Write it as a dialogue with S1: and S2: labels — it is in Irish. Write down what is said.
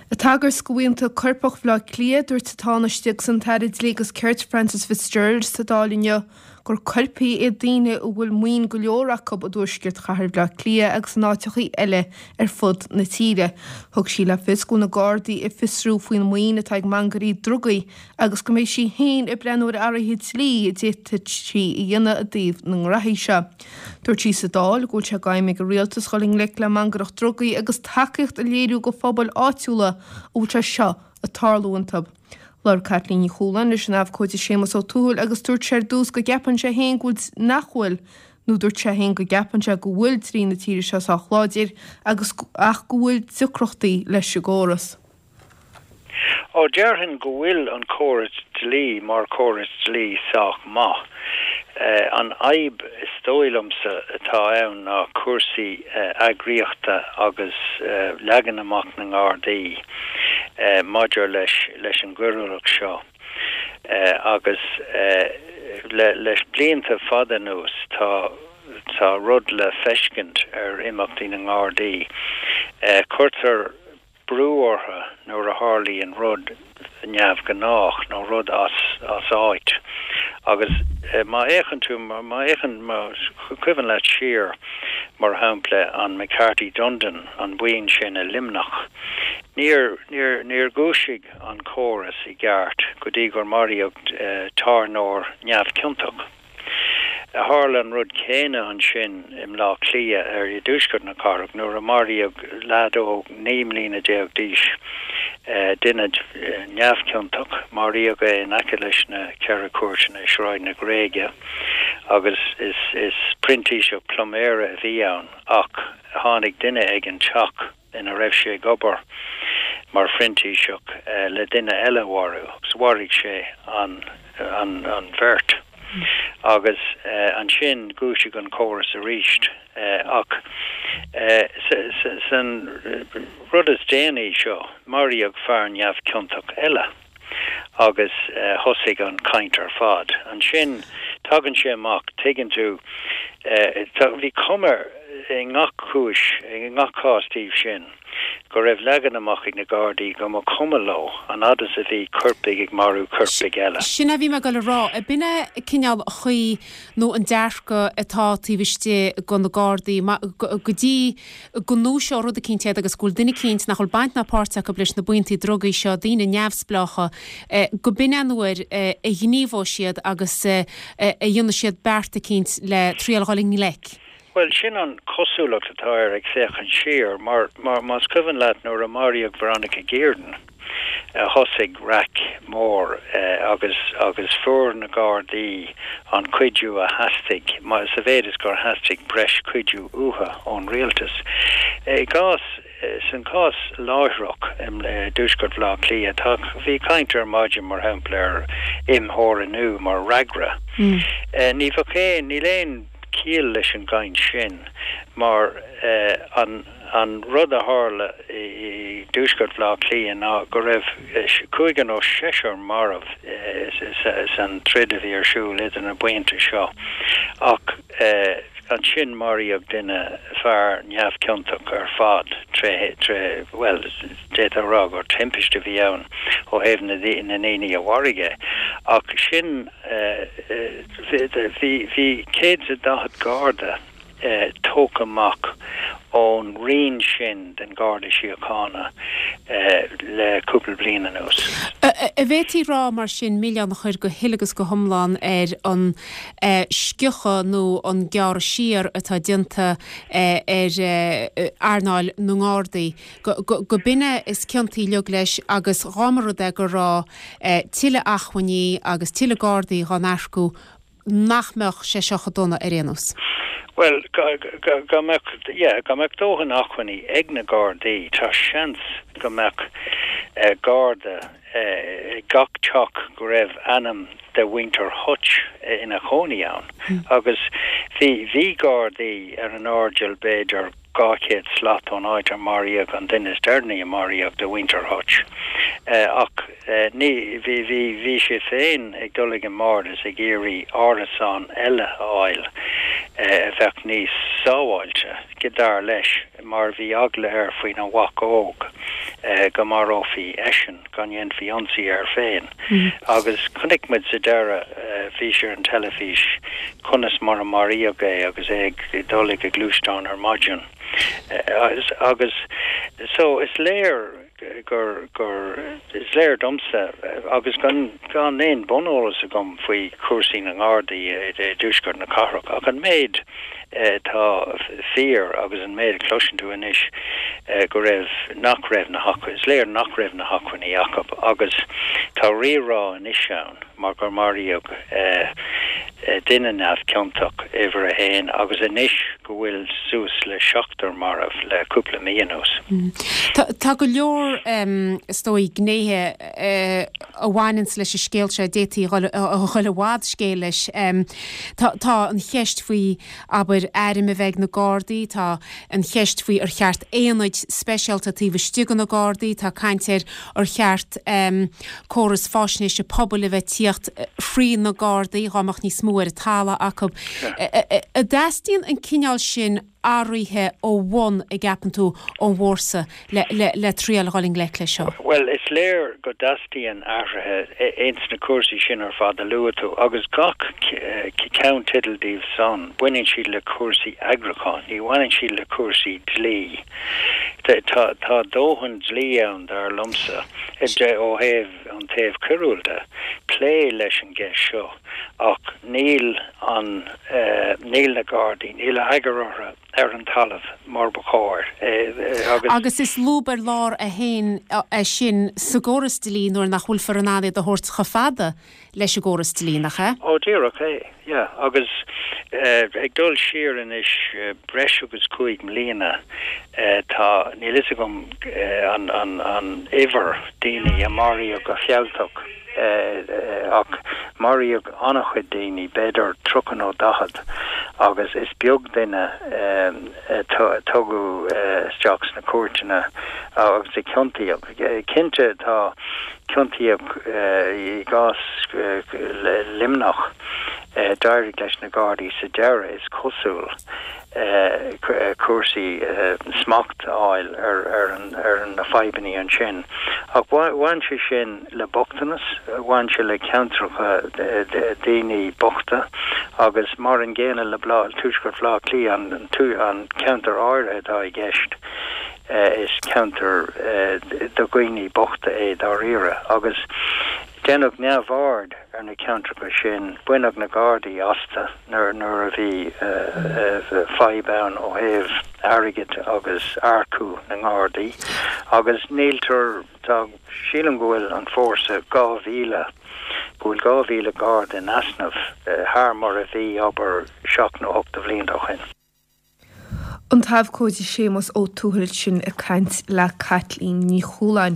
S1: Ag tagairt do bhuíonta coirpeach Bhaile Átha Cliath, dúirt an Tánaiste agus an tAire Dlí agus Cirt Frances Fitzgerald sa Dáil inniu gur coirpigh iad daoine a bhfuil maoin go leor acu i dtuaisceart chathair Bhaile Átha Cliath agus in áiteachaí eile ar fud na tíre. Thug sí le fios go bhfuil na Gardaí ag fiosrú faoin maoin atá ag mangairí drugaí agus go mbeidh sí féin ag breathnú ar athruithe dlí a d'fhéadfadh sí a dhéanamh i dtaobh na ngraithí seo. Dúirt sí sa Dáil go bhfuil sé d'aidhm ag an rialtas dhul i ngleic le mangaireacht drugaí agus tacaíocht a léiriú go phobail áitiúla a bhfuil sé seo ag tarlú iontu. Labhair Caitlín Ní Chualáin leis an abhcóide Séamus Ó Tuathail agus dúirt sé ar dtús go gceapann sé féin go bhfuil nach bhfuil nó dúirt sé féin go gceapann sé go bhfuil dlí na tíre seo sách láidir agus ach go bhfuil deacrachtaí leis an gcóras.
S2: Ó, déarfainn go bhfuil an córas dlí mar chóras dlí sách maith. An fhadhb is dóigh liomsa atá ann ná cúrsaí eagraíochta agus leagan amach na nGardaí maidir leis leis an gcoiriúlacht seo. Agus le blianta fada anuas tá tá rud le feiscint ar imeachtaí na nGardaí. Cuirtear brú orthu nuair a tharlaíonn rud neamhghnách nó rud as as áit. Agus má fhéachann tú, má fhéachann, más cuimhin leat siar, mar shampla, an McCarthy Dundon, an bhuíon sin i Luimneach, níor, níor, níor dhúisigh an córas i gceart go dtí gur maraíodh tábhairneoir neamhchiontach. Tharla an rud céanna ansin i mBleá Cliath, ar i dtuaisceart na cathrach, nuair a maraíodh leaid óg 19 mbliana d'aois, duine neamhchiontach. Maraíodh é in aice leis na Ceithre Cúirteanna i Sráid na Gréige agus is printíseach pluiméara a bhí ann ach tháinig duine ag an teach ina raibh sé ag obair mar phrintíseach le duine eile a mharú agus mharaigh sé an an bheirt agus ansin dhúisigh an córas arís ach san rud is déanaí seo maraíodh fear neamhchiontach eile. agus thosaigh an chaint ar fad. Ansin tagann sé amach, tuigeann tú, bhí cuma i ngach cúis, i ngach cás díobh sin, go raibh leagan amach ag na Gardaí go mba chuma leo an fhad is a bhí coirpigh ag marú coirpigh eile.
S3: Sin a bhí mé ag dul a rá. Ab in é cineál an chaoi nó an dearcadh atá taobh istigh de na Gardaí go dtí go ndúiseoidh rud eicínt iad agus go bhfuil duine eicínt nach bhfuil baint ná páirt acu leis na buíontaí drugaí seo, daoine neamhspleácha, go b'in é an uair a ghníomhóidh siad agus a dhéanfaidh siad beart eicínt le triail dhul i ngleic.
S2: Bhuel, sin an chosúlacht atá air ag féachaint siar, mar más cuimhin leat nuair a maraíodh Veronica Guerin, thosaigh raic mór agus agus fuair na Gardaí an cuidiú a theastaigh, sa mhéid is gur theastaigh breis cuidiú uathu ón rialtas. I gcás, san cás láithreach i dtuaisceart Bhaile Átha Cliath, tá, bhí caint ar maidin, mar shampla, ar imtheorannú mar fhreagra. Ní bheadh aon, níl aon chiall leis an gcaint sin mar an, An rud a tharla i dtuaisceart Bhaile Átha Cliath ná go raibh cúigear nó seisear marbh san troid a bhí ar siúl idir na buíonta seo ach ansin maraíodh duine, fear neamhchiontach ar fad, tré, tré, bhuel, d'fhéadfá a rá gur timpiste a bhí ann ó thaobh na ndaoine a mharaigh é ach sin, bhí, bhí 140 Garda. tógtha amach ón roinn sin den Gharda Síochána le cúpla bliain anuas.
S3: An bhféadfaí rá mar sin milleán a chur go huile agus go hiomlán ar an sciúchadh nó an gearradh siar atá déanta ar earnáil na nGardaí, go b'in é is ciontaí uilig leis agus dhá mba rud é go raibh tuilleadh acmhainní agus tuilleadh Gardaí dhá n-earcú nach mbeadh sé seo chomh dona ar aon nós?
S2: Bhuel, dá mbeadh, yeah, dá mbeadh dóthain acmhainní ag na Gardaí, tá seans go mbeadh Garda ag gach teach go raibh ainm de mhuintir Hutch ina chónaí ann. Agus bhí, bhí Gardaí ar an airdeall b'fhéidir 200 slat ón áit ar maraíodh an duine is deireanaí a maraíodh de mhuintir Hutch. Ach ní, bhí, bhí, bhí sé féin ag dul ag an mbord is ag iarraidh árasán eile a fháil a bheadh níos sábháilte, dar leis, mar bhí eagla air faoina mhac óg. go marófaí eisean, go ndéanfaí ionsaí air féin. Agus chonaic muid sa deireadh, bhí sé ar an teilifís, conas mar a maraíodh é agus é ag dul ag a ghluaisteán ar maidin. Agus so is léir gur, gur, is léir domsa, agus gan, gan aon buneolas agam faoi chúrsaí na nGardaí i dtuaisceart na cathrach, ach an méid atá fíor agus an méid a chloiseann tú anois go raibh, nach raibh na hacmhainní, is léir nach raibh na hacmhainní acu agus tá rírá anois ann mar gur maraíodh duine neamhchiontach, uimhir a haon, agus anois go bhfuil suas le seachtar marbh le cúpla mí anuas.
S3: Tá go leor, is dóigh, gnéithe a bhaineanns leis an scéal seo a d'fhéadfaí a dhul i bhfad scéil leis. Tá an cheist faoi, abair, airm a bheith ag na Gardaí, tá an cheist faoi ar cheart aonaid speisialta taobh istigh de na Gardaí, tá caint ar ar cheart córas faisnéise pobail a bheith tíocht thrí na Gardaí dhá mbeadh níos mó ar an talamh acu. An dteastaíonn an cineál sin athraithe ó bhun, a gceapann tú, ón bhfórsa le triail a dhul i ngleic leis seo?
S2: Bhuel, is léir go dteastaíonn athruithe ins na cúrsaí sin ar fad a luaigh tú, agus gach ceannteideal díobh san, baineann siad le cúrsaí eagrúcháin, ní bhaineann siad le cúrsaí dlí. Tá tá dóthain dlí ann, dar liomsa, ó thaobh an taobh coiriúil de, plé leis an gceist seo, ach níl an, níl na Gardaí, níl eagar orthu ar an talamh mar ba chóir
S3: agus. Agus is lúb ar lár é féin é sin sa gcóras dlí nuair nach bhfuilfear in ann iad a thabhairt chomh fada leis an gcóras dlí, nach ea?
S2: Ó, díreach é, yeah. Agus ag dul siar anois breis agus 5 mbliana, tá, níl fhios agam an, an, an uimhir daoine a maraíodh go fealltach, ach maraíodh an-chuid daoine, b'fhéidir 30 nó 40, agus is beag duine a tugadh isteach sna cúirteanna agus a ciontaíodh. Cinnte tá, ciontaíodh i gcás Luimneach, d'éirigh leis na Gardaí sa deireadh, is cosúil, cúrsaí smacht a fháil ar na fadhbanna ansin. Ach bhain sé sin le bochtanas, bhain sé le ceantracha daoine bochta agus mar an gcéanna le Tuaisceart Bhaile Átha Cliath, an ceantar áirithe atá i gceist. Is ceantar do dhaoine bochta é dáiríre agus deineadh neamhaird ar na ceantracha sin, baineadh na Gardaí astu nuair a bhí fadhb ann ó thaobh airgid agus earcú na nGardaí agus níltear, tá, sílim go bhfuil an fórsa 2,000, go bhfuil 2,000 Garda in easnamh thar mar a bhí, abair, seacht nó ocht de bhlianta ó shin.
S1: An tAbhcóide Séamus Ó Tuathail sin ag caint le Caitlín Ní Chualáin.